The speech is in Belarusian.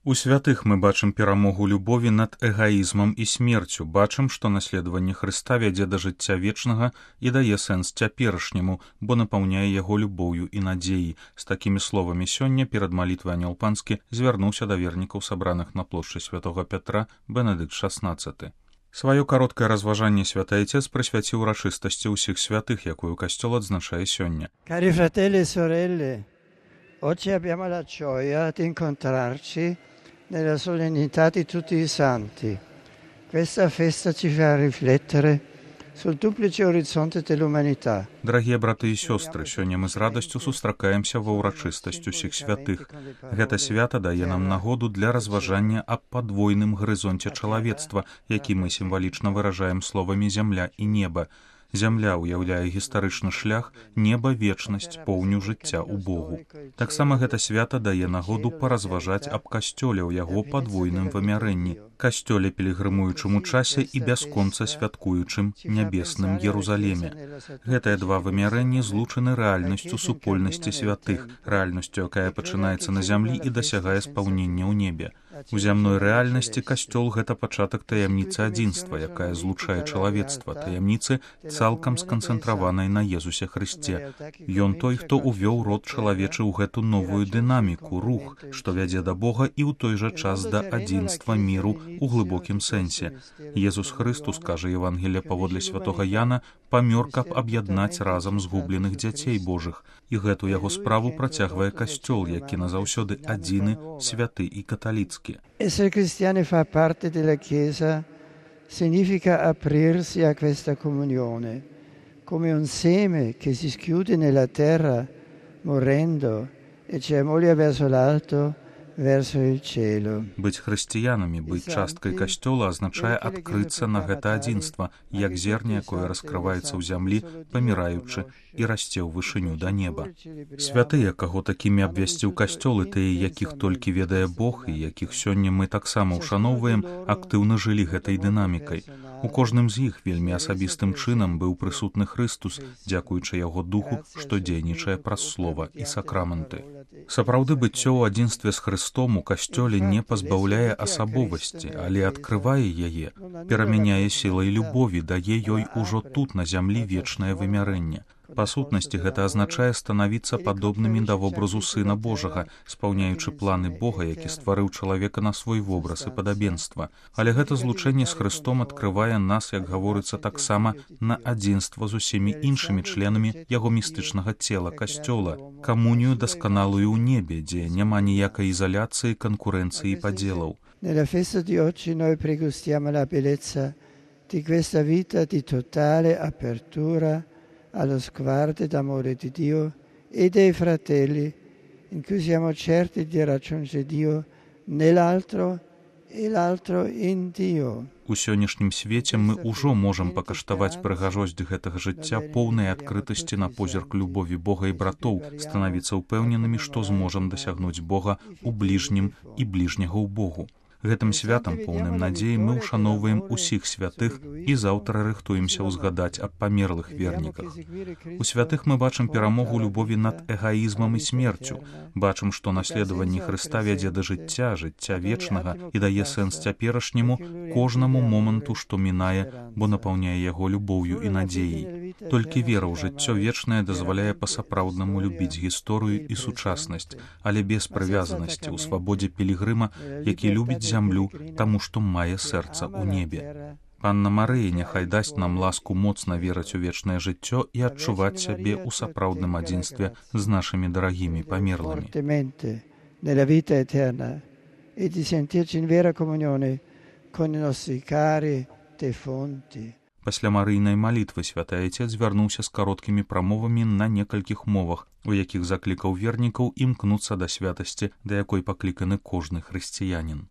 У святых мы бачым перамогу любові над эгаізмам і смерцю, бачым, што наследаванне Хрыста вядзе да жыцця вечнага і дае сэнс цяперашняму, бо напаўняе яго любоўю і надзеяй. З такімі словамі сёння перад малітвай Анёл Панскі звярнуўся да вернікаў, сабраных на плошчы святога Пятра, Бенедыкт XVI. Сваё кароткае разважанне святы Айцец прысвяціў урачыстасці ўсіх святых, якую касцёл адзначае сёння. Cari fratelli e sorelle, oggi abbiamo la gioia di incontrarci nella solennità di tutti i santi. Questa festa ci fa riflettere sul duplice orizzonte dell'umanità. Дарагія браты і сёстры, сёння мы з радасцю сустракаемся ва ўрачыстасць усіх святых. Гэта свята дае нам нагоду для разважання аб падвойным гарызонце чалавецтва, які мы сімвалічна выражаем словамі зямля і неба. Зямля ўяўляе гістарычны шлях, неба вечнасць, поўню жыцця ў Богу. Таксама гэта свята дае нагоду паразважаць аб касцёле ў яго падвойным вымярэнні, касцёле пілігрымуючым у часе і бясконца святкуючым нябесным Єрусалеме. Гэтыя два вымярэнні злучаны рэальнасцю супольнасці святых, рэальнасцю, якая пачынаецца на зямлі і дасягае спаўнення ў небе. У зямной рэальнасці касцёл — гэта пачатак таямніцы адзінства, якая злучае чалавецтва, таямніцы цалкам сканцэнтраванай на Езусе Хрысце. Ён той, хто увёў род чалавечы ў гэту новую дынаміку, рух, што вядзе да Бога і ў той жа час да адзінства міру у глыбокім сэнсе. Езус Хрыстус, кажа Евангелие паводле святога Яна, памёр, каб аб'яднаць разам згубленых дзяцей Божых. І гэту яго справу працягвае касцёл, які назаўсёды адзіны, святы і каталіцкі. Essere cristiani fa parte della Chiesa significa aprirsi a questa comunione, come un seme che si schiude nella terra morendo e germoglia verso l'alto, verso il cielo. Быць хрысціянамі, быць часткай касцёла азначае адкрыцца на гэта адзінства, як зерне, якое раскрываецца ў зямлі, паміраючы і расце ў вышыню да неба. Святыя, каго такімі абвясціў касцёл, і тыя, якіх толькі ведае Бог, і якіх сёння мы таксама ўшаноўваем, актыўна жылі гэтай дынамікай. У кожным з іх вельмі асабістым чынам быў прысутны Хрыстус, дзякуючы яго духу, што дзейнічае праз слова і сакрамэнты. Сапраўды быццё ў адзінстве з Хрыстом у касцёле не пазбаўляе асабовасці, але адкрывае яе, перамяняе сілай любові, дае ёй ужо тут на зямлі вечнае вымярэнне. Па сутнасці гэта азначае станавіцца падобнымі да вобразу Сына Божага, спаўняючы планы Бога, які стварыў чалавека на свой вобраз і падабенства. Але гэта злучэнне з Хрыстом адкрывае нас, як гаворыцца, таксама на адзінства з усімі іншымі членамі яго містычнага цела, касцёла, камунію дасканалую ў небе, дзе няма ніякай ізаляцыі, канкурэнцыі і падзелаў. Nella festa di oggi noi pregustiamo la bellezza di questa vita di totale apertura allo sguardo d'amore di Dio e dei fratelli, in cui siamo certi di raggiungere Dio nell'altro e l'altro in Dio. У сённяшнім свеце мы ўжо можам пакаштаваць прыгажосць гэтага жыцця, поўнай адкрытасці на позірк любові Бога і братоў, станавіцца ўпэўненымі, што зможам дасягнуць Бога ў бліжнім і бліжняга ў Богу. Гэтым святам, поўным надзеі, мы ўшаноўваем усіх святых і заўтра рыхтуемся ўзгадаць аб памерлых верніках. У святых мы бачым перамогу любові над эгаізмам і смерцю, бачым, што наследаванне Хрыста вядзе да жыцця, жыцця вечнага і дае сэнс цяперашняму, кожнаму моманту, што мінае, бо напаўняе яго любоўю і надзеяй. Толькі вера ў жыццё вечнае дазваляе па-сапраўднаму любіць гісторыю і сучаснасць, але без прывязанасці, у свабодзе пілігрыма, які любіць зямлю, таму што мае сэрца ў небе. Панна Марыя няхай дасць нам ласку моцна верыць у вечнае жыццё і адчуваць сябе ў сапраўдным адзінстве з нашымі дарагімі памерлымі. Nella vita eterna e di sentirci in vera comunione con i nostri cari defunti. Пасля марыйнай малітвы святы Айцец звярнуўся з кароткімі прамовамі на некалькіх мовах, у якіх заклікаў вернікаў імкнуцца да святасці, да якой пакліканы кожны хрысціянін.